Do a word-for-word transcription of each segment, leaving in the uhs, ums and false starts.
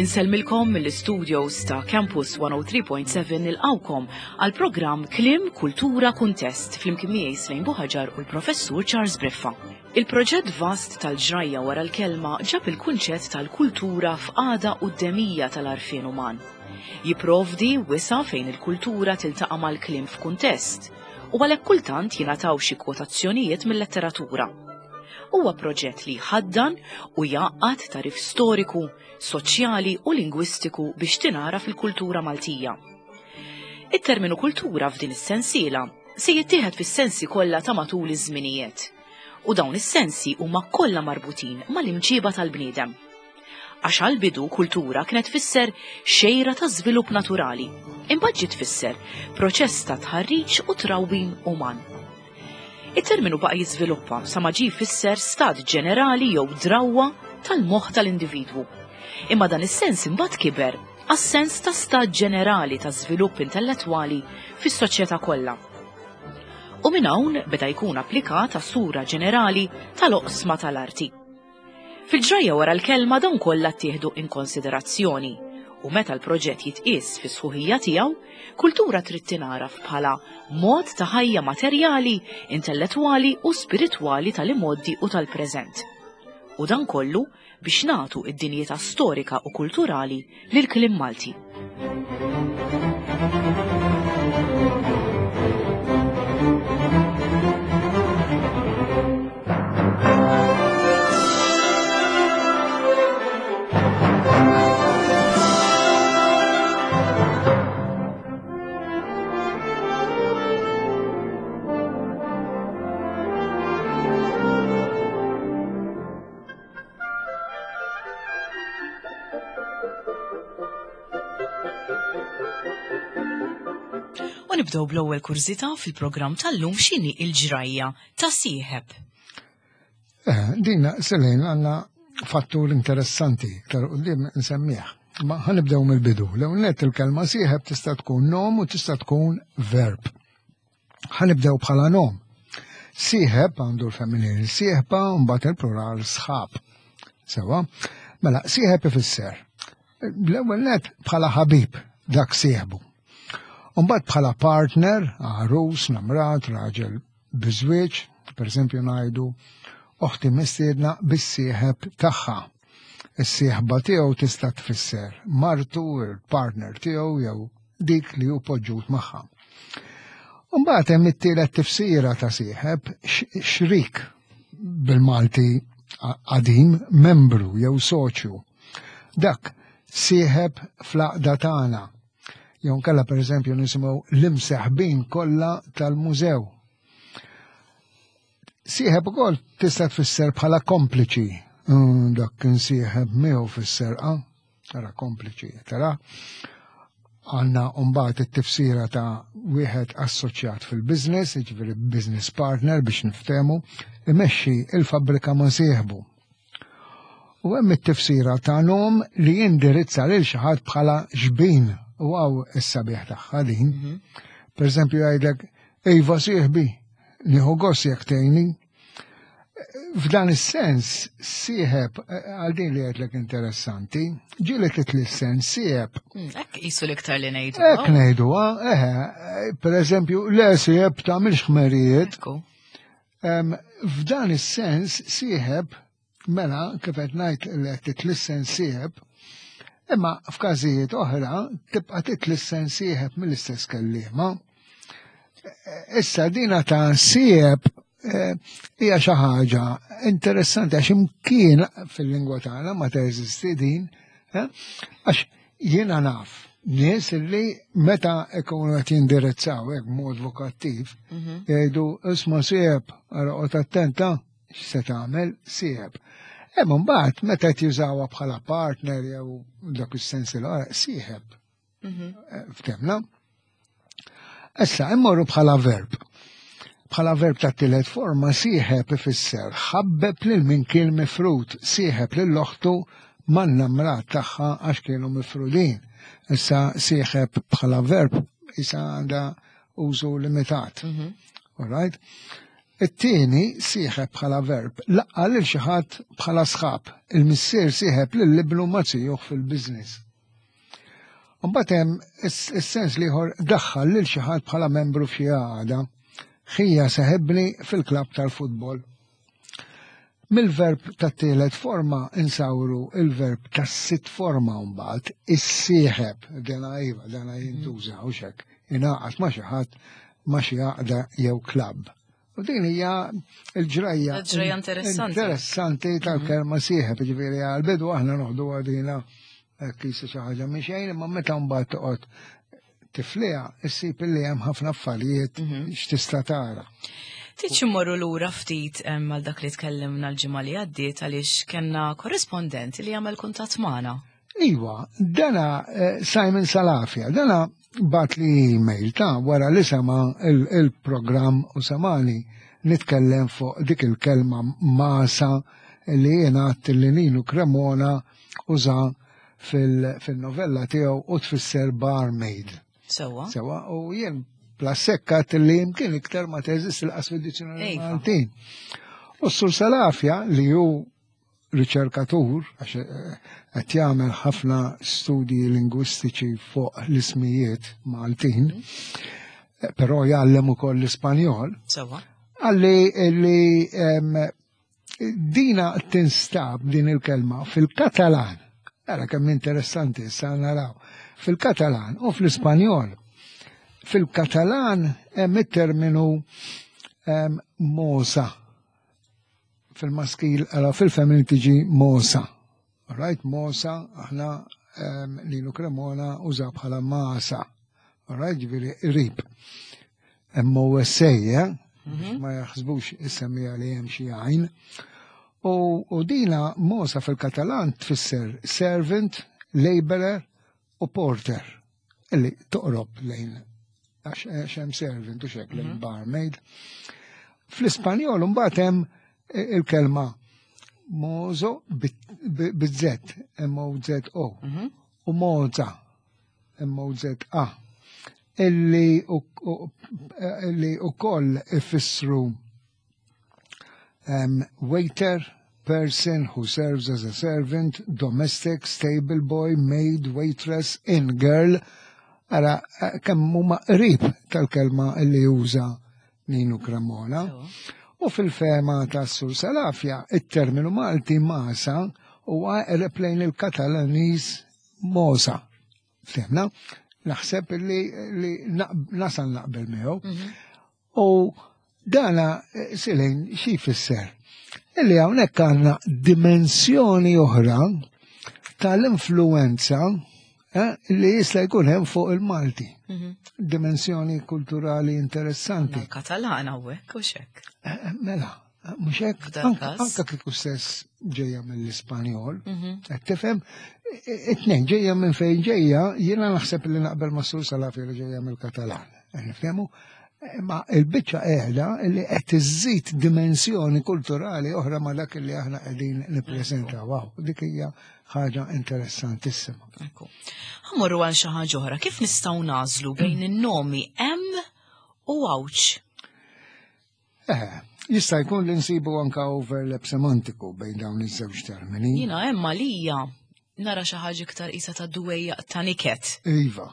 Insellmilkom mill-studios ta' Campus one oh three point seven, nilqgħukom għal programm Kliem Kultura Kuntest flimkien miegħi Slejn Buħaġar u l-Professur Charles Briffa. Il-proġett vast tal-ġrajja wara l-kelma ġab il-kunċett tal-kultura f'qagħda quddemija tal-għarfien uman. Jiprovdi wisa' fejn il-kultura tiltaqa' mal-kliem f'kuntest u għalhekk kultant jingħataw xi kwotazzjonijiet mill-letteratura. Huwa proġett li jħaddan u jgħaqqad tagħrif storiku, soċjali u lingwistiku biex tingħaraf il-kultura Maltija. It-terminu kultura f'din is-sensiela se jittieħed fis-sensi kollha ta' matul iż-żminijiet. U dawn is-sensi huma kollha marbutin mal-imġiba tal-bniedem. Għax għal-bidu kultura kienet tfisser xejra ta' żvilupp naturali, imbagħad ġiet tfisser proċess ta' tħarriġ u trawwim uman. Il-terminu baqa' jiżviluppa sa ma ġie jfisser stat ġenerali jew drawwa tal-moħħ tal-individwu. Imma dan is-sens imbagħad kiber għas-sens ta' stat ġenerali ta' żvilupp intellettwali fis-soċjetà kollha. U minn hawn beda jkun applikat għas-sura ġenerali tal-oqsma tal-arti. Fil-ġrajja wara l-kelma dawn kollha ttieħdu in konsiderazzjoni u meta l-proġett jitqies fi sħuħija tiegħu, kultura trid tingħaraf bħala mod ta' ħajja materjali, intellettwali u spiritwali tal-imgħoddi u tal-preżent. U dan kollu biex nagħtu id-dinjità storika u kulturali lil kliem Malti. U nibdew bl-ewwel kurżità fil-programm tal-lum: x'inhi il-ġrajja ta' sieħeb? Eh, din Selejn għandna fattur interessanti, iktar quddiem nsemmih. Ma ħa nibdew mill-bidu. L-ewwel nett, il-kelma sieħeb tista' tkun nom u tista' tkun verb. Ħa nibdew bħala nom. Sieħeb għandu l-femminil sieħba u mbagħad il-plural sħab. Sewa, mela sieħeb ifisser l-ewwel net bħala ħabib, dak sieħbu. Mbagħad bħala partner, għarus, namrat, raġel biżwieġ, per eżempju ngħidu oħti mistiedna bis-sieħeb tagħha. Is-sieħba tiegħu tista' tfisser martu, il-partner tiegħu jew dik li hu poġġut magħha. Mbagħad hemm it-tielet tifsira ta' sieħeb, xrik bil-Malti qadim, membru jew soċju. Dak sieħeb fl-għaqda tagħna. Jew nkella, per eżempju, nisimgħu l-imseħbin kollha tal-mużew. Sieħeb ukoll tista' tfisser bħala kompliċi. Mm, dak kien sieħeb miegħu fis-serqa, tara kompliċi, tara. Għandna mbagħad it-tifsira ta' wieħed assoċjat fil-business, jiġifieri business partner biex niftehmu, imexxi il-fabbrika ma' sieħbu. U hemm it-tifsira ta' nom li jindirizza lil xi ħadd bħala xbin, u hawn is-sabiħ tagħha din. Per eżempju jgħidlek, "Iva sieħbi, nieħu gost jekk tgħinni." F'dan is-sens, sieħeb, għal din li għedtlek interessanti, ġieli titlissen sieħeb. Hekk qisu l-iktar li ngħidu. Hekk ngħidu, eħe, per eżempju, le sieħeb tagħmilx ħmerijiet. Ekku. Em, F'dan is-sens, sieħeb, mela, kif qed ngħid li qed titlissen sieħeb, imma f'każijiet oħra tibqa' titlissen sieħeb mill-istess kelliema. Issa dina ta' sieħeb eh, hija xi ħaġa interessanti għax imkien fil-lingwa tagħna ma teżisti din, eh, għax jiena naf nies li meta ikunu qed jindirizzaw hekk b'mod vokattiv jgħidu, "Isma' sieħeb, ara qgħod attenta x'se tagħmel sieħeb." Imma mbagħad meta qed jużawha bħala partner jew dak is-sens l sieħeb. Eh, Ftemna? Issa immorru bħala verb. Bħala verb ta' tielet forma, sieħeb ifisser ħabbeb lil min kien mifrud, sieħeb lil oħtu man-namrat tagħha għax kienu mifrudin. Issa sieħeb bħala verb issa għandha użu limitat. All right? It-tieni, sieħeb bħala verb, laqqa lil xi ħadd bħala sħab. Il-missier sieħeb lil ibnu ma' zijuh fil-business. Mbagħad hemm is-sens l-ieħor, daħħal lil xi ħadd bħala membru f'xi għaqda. Ħija seħebni fil-klabb tal-futbol. Mill-verb tat-tielet forma insawru il-verb tas-sitt forma mbagħad, issieħeb, dana iva, dana jintuża u xek, ingħaqad ma' xi ħadd, ma' xi għaqda jew klabb. U din hija l-ġrajja Ġrajja interessanti. Interessanti tal-kelma sieħeb, ġifieri għal-bidu aħna noħdu għadina kisa xi ħaġa minn xejn, imma meta mbagħad toqgħod tifliha, issib li hemm ħafna affarijiet x'tista' tara. Tridx immorru lura ftit em, għal dak li tkellimna l-ġimgħa li għaddiet, għaliex kellna korrispondent li jagħmel kuntatt magħna. Iwa, dana eh, Simon Salafia, dana bagħat li email ta' wara li sema il-programm u samani nitkellem fuq dik il-kelma masa li jiena għedt li Ninu Cremona uża fil-novella tiegħu u tfisser barmaid. Sewa. Sewa, u jien plassekkat li jimkien iktar ma teżist il-qas fid-dizzjonarju Iva. Maltin. U s-Sur Salafja, li hu riċerkatur, għax eh, qed jagħmel ħafna studji lingwistiċi fuq l-ismijiet Maltin, eh, però jgħallem ukoll l-Ispanjol, Sewa. qalli li em, dina tinstab din il-kelma fil-Katalan. Ara kemm interessanti, issa naraw. Fil-Katalan u fl-Ispanjol. Fil-Katalan hemm it-terminu em, mosa. Fil-maskil, allora fil-femmin tiġi mosa. Alright, mosa, aħna em, Ninu Cremona uża bħala masa. Alright, ġifieri qrib. M O S A, eh? Ma jaħsbux is-semmija li hemm xi għajn. U, u dina mosa fil-Katalan tfisser servant, laborer u porter. Illi toqrob lejn għax għax hemm servant u xek lejn barmaid. Fl-Ispanjol mbagħad hemm il-kelma mozo bit-Z, M O Z O, u moza, M O Z A, illi u, u, illi u koll ifissru um, waiter, person who serves as a servant, domestic, stable boy, maid, waitress, inn girl. Ara, eh, kemm huma qrib tal-kelma illi juża Ninu Cremona. Sewa. U fil-fehma ta' Sur Salafja, il-terminu Malti masa huwa eqreb lejn il-Katalaniż mosa. Fehmna? Naħseb li, li naq- nasal naqbel miegħu. U dana eh, silejn xi jfisser? Illi hawnhekk għandna dimensjoni oħra tal-influenza eh, li jista' jkun hemm fuq il-Malti. Dimensjoni kulturali interessanti. Katalan hawnhekk u xek. Eh, Mela, mhux hekk, F'dan anka każ. anka kieku stess ġejja mill-Ispanjol, qed tifhem, it-tnejn ġejja minn fejn ġejja, jiena naħseb li naqbel ma' Sur Salafi li ġejja mill-Katalan. Qed Nifhemu? Ma il-biċċa qiegħda li qed iżid dimensjoni kulturali oħra ma dak li aħna qegħdin nippreżentaw. Wow, dik hija ħaġa interessantissima. Ekku. Ħa mmorru għal xi ħaġa oħra. Kif nistgħu nagħżlu bejn in-nomi hemm u għawċ? Eh, jista' jkun li nsibu anka overlap semantiku bejn dawn iż-żewġ termini. Jiena hemm għalija nara xi ħaġa iktar isa ta' dwejja ta' niket. Iva,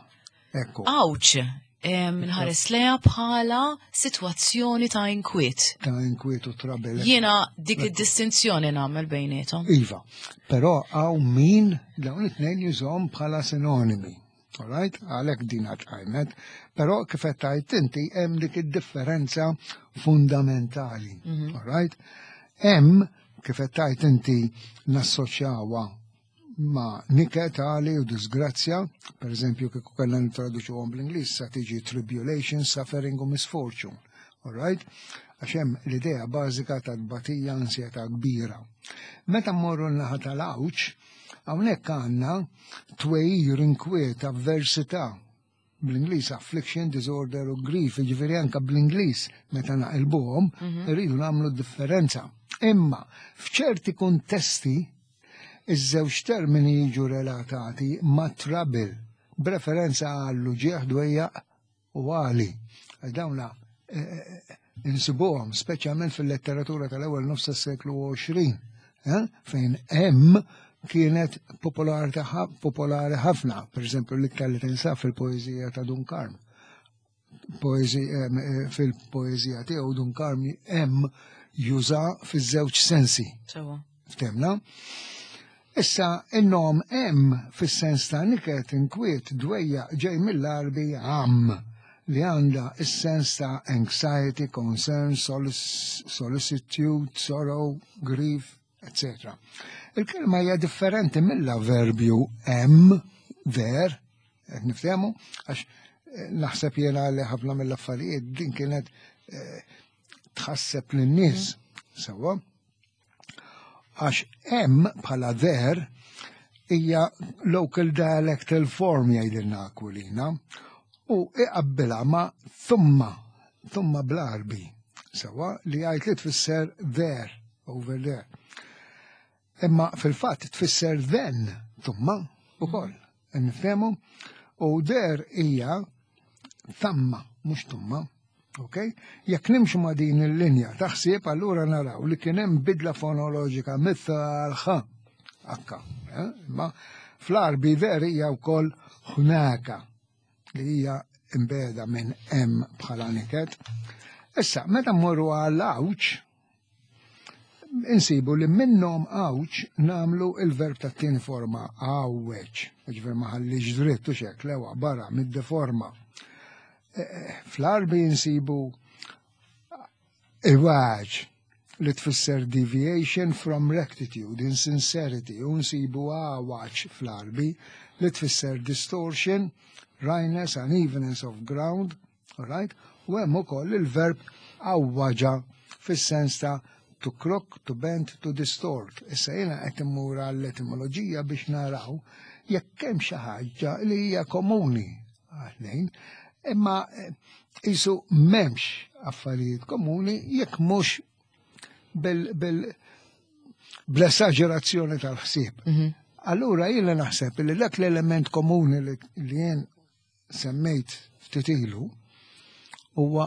ekku. Għawċ, nħares leha bħala sitwazzjoni ta' inkwiet. Ta' inkwiet u trouble. Jiena dik id-distinzjoni nagħmel bejniethom. Iva, però hawn min dawn it-tnejn jużhom bħala sinonimi. Alright? Għalhekk din tqajmet. Però kif qed tgħid inti, hemm dik id-differenza fundamentali. Alright? Hemm, kif qed tgħid inti, nassoċjawha ma' niket, għali u disgrazzja, per eżempju kieku kellna nitraduċuhom bl-Ingliż sa tiġi tribulation, suffering u misfortune. Alright? Għax hemm l-idea bażika ta' tbatija, ansjetà kbira. Meta mmorru n-naħa tal-għawċ, hawnhekk għandna twejjir, inkwiet, avversità. Bl-Ingliż affliction, disorder u grief, ġifieri anka bl-Ingliż meta naqilbuhom, irridu nagħmlu differenza. Imma f'ċerti kuntesti iż-żewġ termini jiġu relatati ma' trouble, b'referenza għall uġigħ, dwejjaq u għali. Għax dawna eh, eh, Insibuhom speċjalment fil-letteratura tal-ewwel nofs tas-seklu għoxrin, eh, fejn hemm kienet popolari ħafna, per eżempju l-iktar li tinsab fil-poeżija ta' Dun Karm. Fil-poeżija tiegħu Dun Karm hemm juża fiż-żewġ sensi. Sewa. Ftemna? Issa in-nom hemm fis-sens ta' niket, inkwiet, dwejja ġej mill-Arbi għam li għandha is-sens ta' anxiety, concern, solicitude, sorrow, grief, eccetera. Il-kelma hija differenti mill-avverbju hemm, there, qed niftehmu, għax naħseb jiena li ħafna mill-affarijiet din kienet tħasseb lin-nies, sewwa. Għax hemm bħala there hija local dialectal form jgħidilna Aquilina u iqabbilha ma' thumma, thumma bl-Arbi, sewwa, li jgħid li tfisser there, over there. Imma fil-fatt tfisser then, thumma ukoll, nifhemu, u there hija thamma, mhux tumma. Ok? Jekk nimxu ma' din il-linja taħsib, allura naraw li kien hemm bidla fonoloġika mitħalħa. Akka, eh? Ma fl-Arbi there hija wkoll ħnaka li hija imbeda minn hemm bħala niket. Issa, meta mmorru għal għawġ, insibu li minnhom għawġ namlu il-verb tat-tieni forma għawweġ, ġifier ma ħallix dritt u xek, lewa barra mid-deforma. Fl-Arbi insibu iwaġ li tfisser deviation from rectitude, insincerity, u nsibu għawaġ fl-Arbi li tfisser distortion, wryness, unevenness of ground, all right? U hemm ukoll il-verb għawwaġa fis-sens ta' to crook, to bend, to distort. Issa jiena qed immur għall-etimoloġija biex naraw jekk hemm xi ħaġa li hija komuni għalejn, imma qisu m'hemmx affarijiet komuni jekk mhux bil, bil, bl-esaġerazzjoni tal-ħsieb. Allura jiena naħseb li dak l-element komuni li, li jien semmejt ftit ilu huwa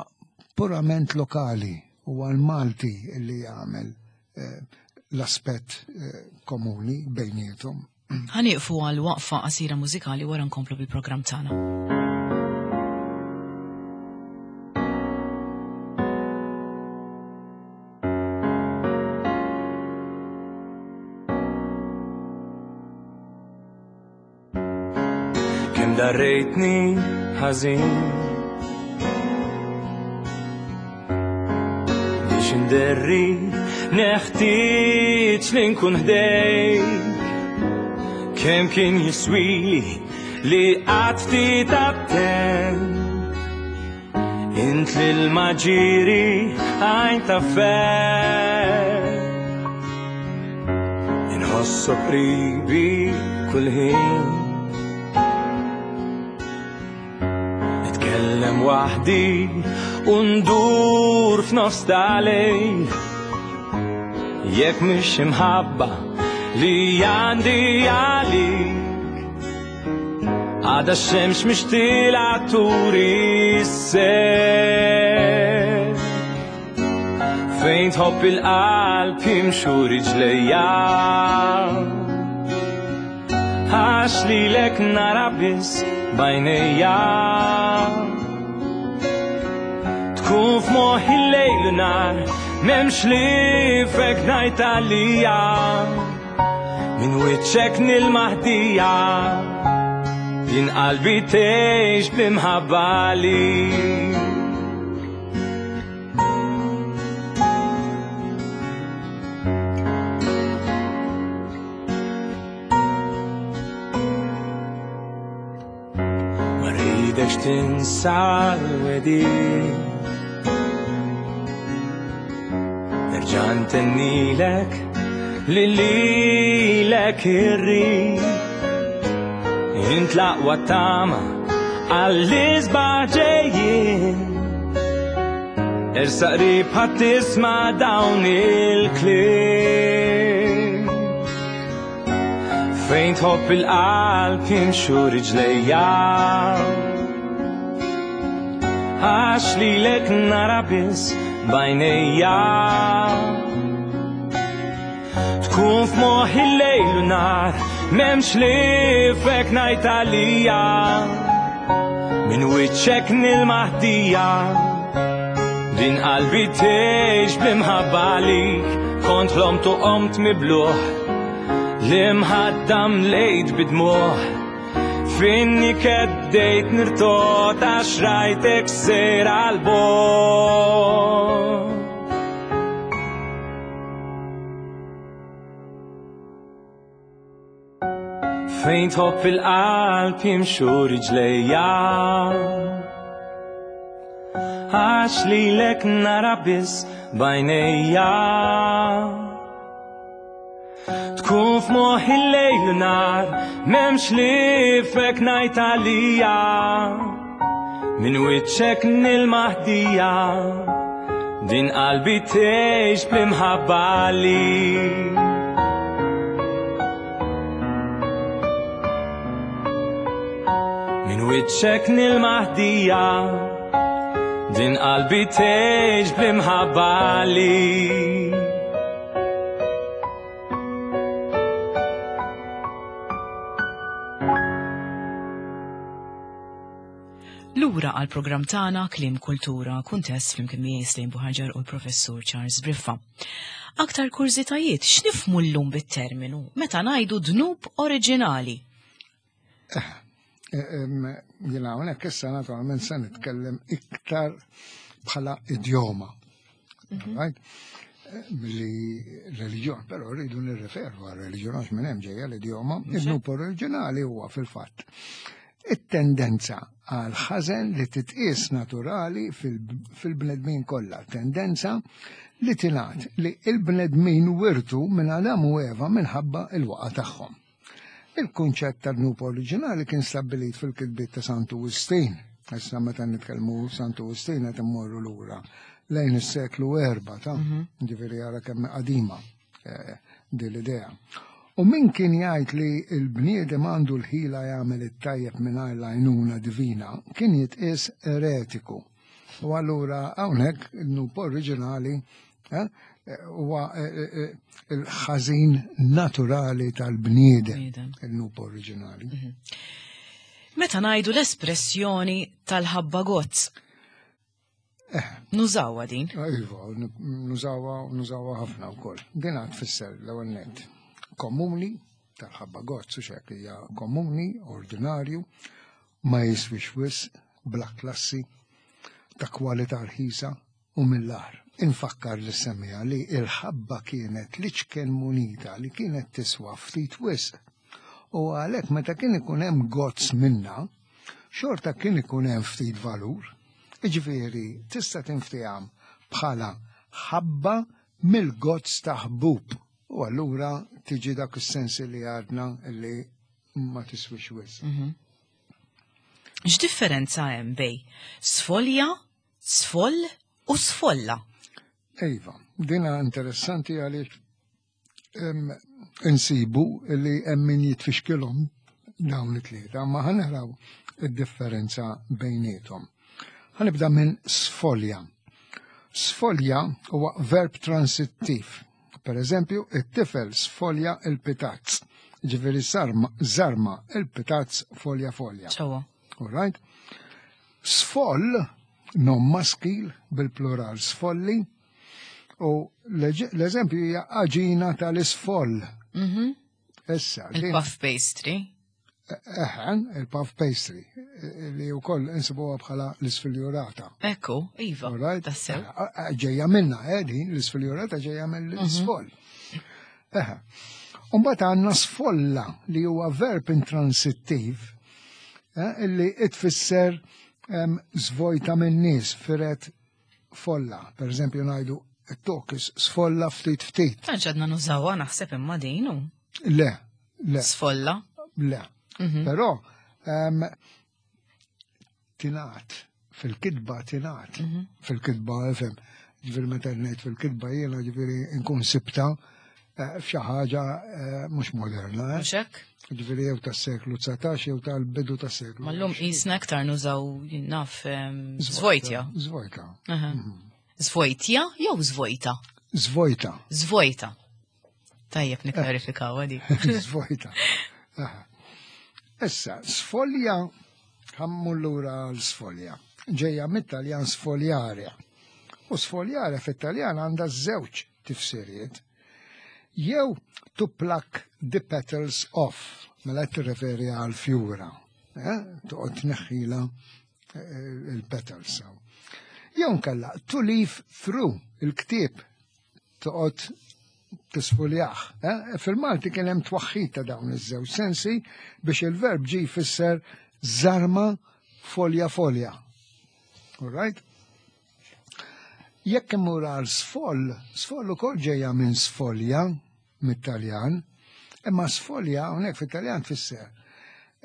purament lokali, huwa l-Malti li jagħmel eh, l-aspett eh, komuni bejniethom. Ħanieqfu għal waqfa qasira mużikali wara nkomplu bil-programm tagħna. Kemm darrejtni ħażin biex inderri neħtieġ li nkun ħdejk. Kemm kien jiswili li qatt ftit attent, int lil maġiri għajn ta' ferħ. Inħossok qribi kull ħin, nitkellem waħdi u ndur f'nofs tal-lejl. Jekk mhix imħabba li għandi għalik, għada x-xemx mhix tilgħa turi s-sejf. Fejn tħobb il-qalb jimxu riġlejja, għax lilek nara biss b'għajnejja. Tkun f'moħħi l-lejl u nhar, m'hemmx li fek ngħid għalija. Minn wiċċek nil-maħdija, jien qalbi tgħix bl-imħabba għalik. Ma rridekx tinsa l-wedid, nerġa' ntennilek li lilek irrid. Int l-aqwa tama għall-isbaħ ġejjin, ersaq qrib ħadd tisma' dawn il-kliem. Fejn tħobb il-qalb jimxu riġlejja, għax lilek nara biss b'għajnejja. Tkun f'moħħi lejl u nhar, m'hemmx ħliefek ngħid għalija. Minn wiċċek nil-maħdija, din qalbi tgħix bl-imħabba għalik. Kont ħlomt u qomt mibluħ, l-imħadda mlejt bidmuħ. Finni keddejt nirtot għax rajtek sejra għal-bogħod. Fejn tħobb il-qalb jimxu riġlejja, għax lilek nara biss b'għajnejja. Tkun f'moħħi lejl u nhar, m'hemmx ħliefek ngħid għalija. Minn wiċċek nil-maħdija, din qalbi tgħix bl-imħabba għalik. Minn wiċċek nil-maħdija, din qalbi tgħix bl-imħabba għalik. Lura għal programm tagħna Kliem Kultura Kuntest flimkien miegħi Slim Buhaġar u l-Professur Charles Briffa. Aktar kurżitajiet, x'nifhmu llum bit-terminu meta ngħidu dnub oriġinali? Jiena hawnhekk issa naturalment se nitkellem iktar bħala idjoma. Right? Milli reliġjon, però rridu nirreferu għal reliġjon għax minn hemm ġejja l-idjoma. Id-dnub oriġinali huwa fil-fatt it-tendenza għal ħażen li titqies naturali fil-bnedmin kollha, tendenza li tingħad li l-bnedmin wirtu minn Adam u Eva minħabba il-waqa tagħhom. Il-kunċett tad-dnub oriġinali kien stabbilit fil-kitbiet ta' Santu Wistin. Issa meta nitkellmu Santu Wistin qed immorru lura lejn is-seklu erba' ta' ġifieri ara kemm qadima din l-idea. U min kien jgħid li l-bniedem għandu l-ħila jagħmel it-tajjeb mingħajr l-għajnuna divina kien jitqies eretiku. U allura hawnhekk id-dnub oriġinali huwa il-ħażin naturali tal-bniedem, il-dnub oriġinali. Meta ngħidu l-espressjoni tal-ħabba gozz, nużawha din? Iva, nużawha, nużawha ħafna wkoll. Din għad tfisser l-ewwel nett komuni, tal-ħabba gozz u xek hija komuni, ordinarju, ma jiswix wisq, bla klassi, ta' kwalità rħisa u mill-agħar. Infakkar li semmija li il-ħabba kienet l-iċken munita li kienet tiswa ftit wisq. U għalhekk meta kien ikun hemm gozz minna, xorta kien ikun hemm ftit valur. Jiġifieri tista' tinftiham bħala ħabba mill-gozz ta' ħbub. U allura tiġi dak is-sens li għadna li ma tiswix wisq. X'differenza hemm bej sfolja, sfoll u sfolla? Iva, dina interessanti għaliex insibu li hemm min jitfixkilhom dawn it-tlieta, ma ħanaraw id-differenza bejniethom. Ħanibda minn sfolja. Sfolja huwa verb transittiv. Per eżempju, it-tifel sfolja il-pitazz. Ġifieri sarma, zarma il-pitazz folja folja. Ċewwa. All right? Sfoll, nom maskil, bil-plural sfolli, u l-eżempju hija għaġina tal-isfoll. Issa, din Il-puff pastry. Eħen, il-puff pastry, li wkoll insibuha bħala l-isfiljurata. Ekku, iva, All right? tassew. Ġejja minna, eh, din, l-isfiljurata ġejja mill-isfoll. Eħe. Umbagħad għandna sfolla li huwa verb intransittiv, eh, illi tfisser żvojta minn nies, firet folla. Per eżempju ngħidu it-tokis sfolla ftit ftit. Tantx għadna nużawha naħseb imma din hu. Le, le. Sfolla. Le. Però tingħad fil-kitba tingħad. Fil-kitba, ifhem, ġifieri meta ngħid fil-kitba jiena ġifieri nkun sibta f'xi ħaġa mhux moderna. Mhux hekk? Ġifieri jew tas-seklu dsatax jew tal-bidu tas-seklu. Ma llum qisna aktar nużaw naf zvojtja. Zvojta. Zvojtja jew zvojta? Zvojta. Zvojta. Tajjeb nikklarifikaw għadi. Zvojta. Aha. Issa, sfolja, ħa mmur lura l-sfolja. Ġeja mit-Taljan sfogliare. U sfogliare fit-Taljan għandha żewġ tifsiriet. Jew to pluck the petals off, mela qed tirreferi għal fjura. Eh? Toqgħod tneħħila eh, il-petals. Jew nkella to leaf through il-ktieb toqgħod tisfuljah. Eh? Fil-Malti kien hemm twaħħid ta' dawn iż-żewġ sensi biex il-verb ġi jfisser żarma folja folja. All right? Jekk immur għal sfoll, sfoll ukoll ġejja minn sfolja mit-Taljan, imma sfolja hawnhekk fit-Taljan tfisser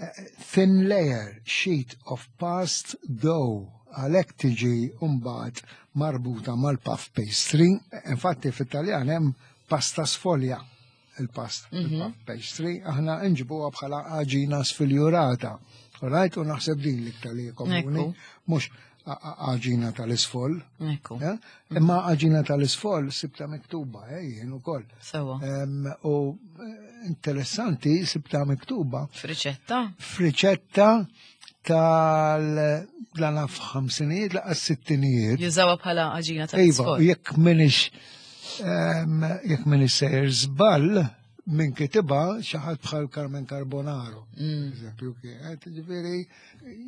eh, thin layer sheet of past dough għalhekk tiġi mbagħad marbuta mal-puff pastry. Infatti fit-Taljan hemm pasta sfolja il-pasta, il-puff pastry, aħna nġibuha bħala għaġina sfiljurata. Right? U naħseb din l-iktar li komuni, Ekku. mhux a- a- għaġina tal-isfoll. Ekku. Eh? Imma għaġina tal-isfoll sibta miktuba, eh, jien ukoll. Sewa. Em, U eh, interessanti sibta miktuba F'riċetta? f'riċetta tal la naf ħamsinijiet laqas sittinijiet. Jużawha bħala għaġina Iva, tal-isfol. jekk minix em, jekk minix sejjer żball minn kitibha xi ħadd bħal Carmen Carbonaro. Eżempju, kienet, ġifieri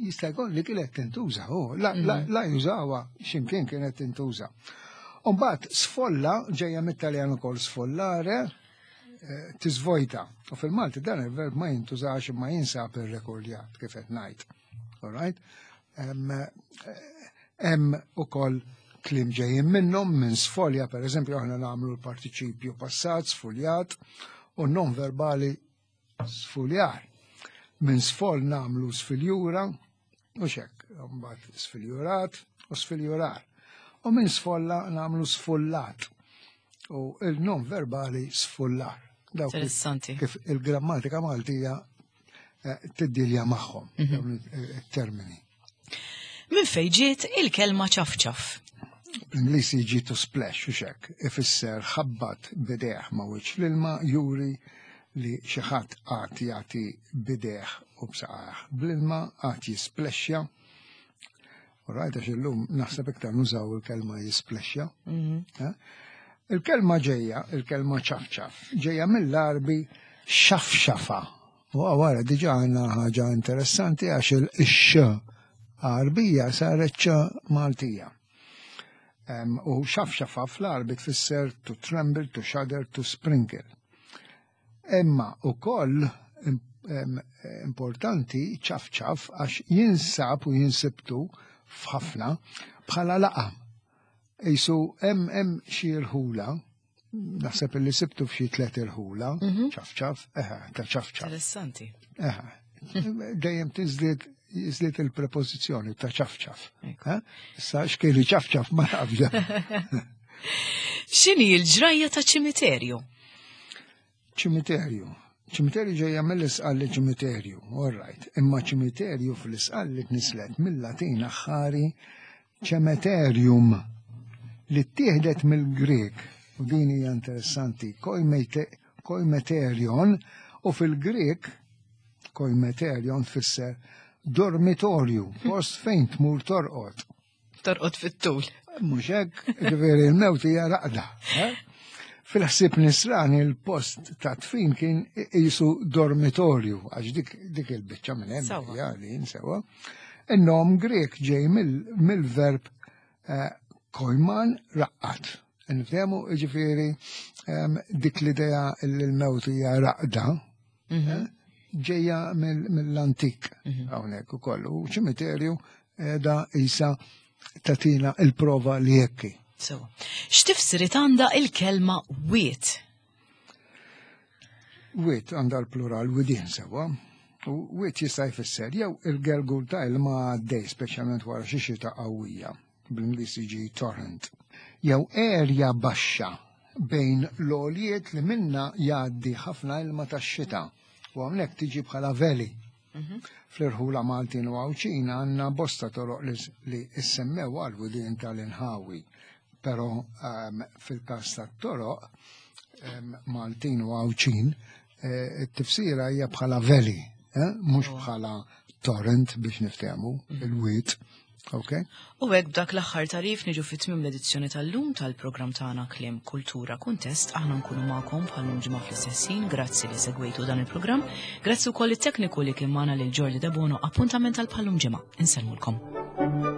jista' jkun li kienet tintuża, oh, la, la, la jużawha x'imkien kienet tintuża. Umbagħad sfolla ġejja mit-Taljan ukoll sfollare, eh, tiżvojta. U fil-Malti dan il-verb ma jintużax imma jinsab irrekordjat kif qed ngħid. All right? Hemm hemm ukoll kliem ġejjin minnhom minn sfolja, per eżempju, aħna nagħmlu l-partiċipju passat, sfoljat, u non verbali sfoljar. Minn sfol nagħmlu sfiljura, u xek, mbagħad sfiljurat u sfiljurar. U minn sfolla nagħmlu sfullat. U il-non verbali sfullar. Dawk Interessanti. kif il-grammatika Maltija eh, tiddilja magħhom dawn it-termini. Minn fejn ġiet il-kelma ċafċaf? Bl-Ingliż jiġi to splash u xek, ifisser ħabbat b'idejh ma' wiċċ l-ilma juri li xi ħadd qagħad jagħti b'idejh u b'saqajh. Bl-ilma qagħad jisplexxja. U rajt għax illum naħseb iktar nużaw il-kelma jisplexxja. Eh? Il-kelma ġejja, il-kelma ċafċaf, ġejja mill-Għarbi xafxafa. U għawara diġa għandna ħaġa interessanti għax il-x Għarbija saret ċ Maltija. Em, U xafxafa fl-Għarbi tfisser to tremble, to shudder, to sprinkle. Imma u koll importanti ċafċaf għax jinsab u jinsibtu f'ħafna bħala laqam. Isu hemm hemm xi rħula, naħseb li sibtu f'xi tliet irħula, ċafċaf, eħe, ta' ċafċaf. Interessanti. Eħe, dejjem tiżdied jiżdied il-prepożizzjoni ta' ċafċaf. Ekku. Eh? Issa x'kieli ċafċaf ma nafx. X'inhi l-ġrajja ta' ċimiterju? Ċimiterju. Ċimiterju ġejja mill-Isqalli ċimiterju, all right. Imma ċimiterju fl-Isqalli tnislet mill-Latin aħħari cemeterium li ttieħdet mill-Grek. U din hija interessanti, koimete- koimeterion u fil-Grek koimeterion tfisser dormitorju, post fejn tmur torqod. Torqod fit-tul. Mhux hekk, ġifieri l-mewt hija raqda. eh? Fil-ħsieb nisrani il-post ta' tfin kien jisu dormitorju, għax dik, dik il-biċċa minn hemm Sewa. hija li sewa. In-nom Grek ġej mill- mill-verb eh, koiman raqqat. Nifhemu ġifieri em, dik l-idea li l-mewt hija raqda, eh, ġejja mill- mill-antik hawnhekk ukoll. U ċimiterju eh, da isa tatina il-prova li jekki. So, x'tifsirit għandha il-kelma wiet? Wiet għandha l-plural widien sewa. U wiet jista' jfisser jew il-gelgul ta' ilma għaddej, speċjalment wara xi xita qawwija, bl-Ingliż jiġi torrent. Jew erja baxxa bejn l-għoljiet li minna jgħaddi ħafna ilma tax-xita. U hawnhekk tiġi bħala valley. Fl-irħula Maltin u Għawdxin għandna bosta toroq li, li issemmew għal widien tal-inħawi. Però um, fil-każ tat-toroq um, Maltin u Għawdxin, eh, it-tifsira hija bħala valley, eh? Mhux bħala torrent biex niftehmu, il-wied. Ok? U hekk b'dak l-aħħar tagħrif niġu fit-tmiem l-edizzjoni tal-lum tal-programm tagħna Kliem Kultura Kuntest. Aħna nkunu magħkom bħal ġimgħa fl-istess ħin. Grazzi li segwejtu dan il-programm. Grazzi wkoll it-tekniku li kien magħna lil Jordi Debono. Appuntament għal bħal-lum ġimgħa. Insellmulkom.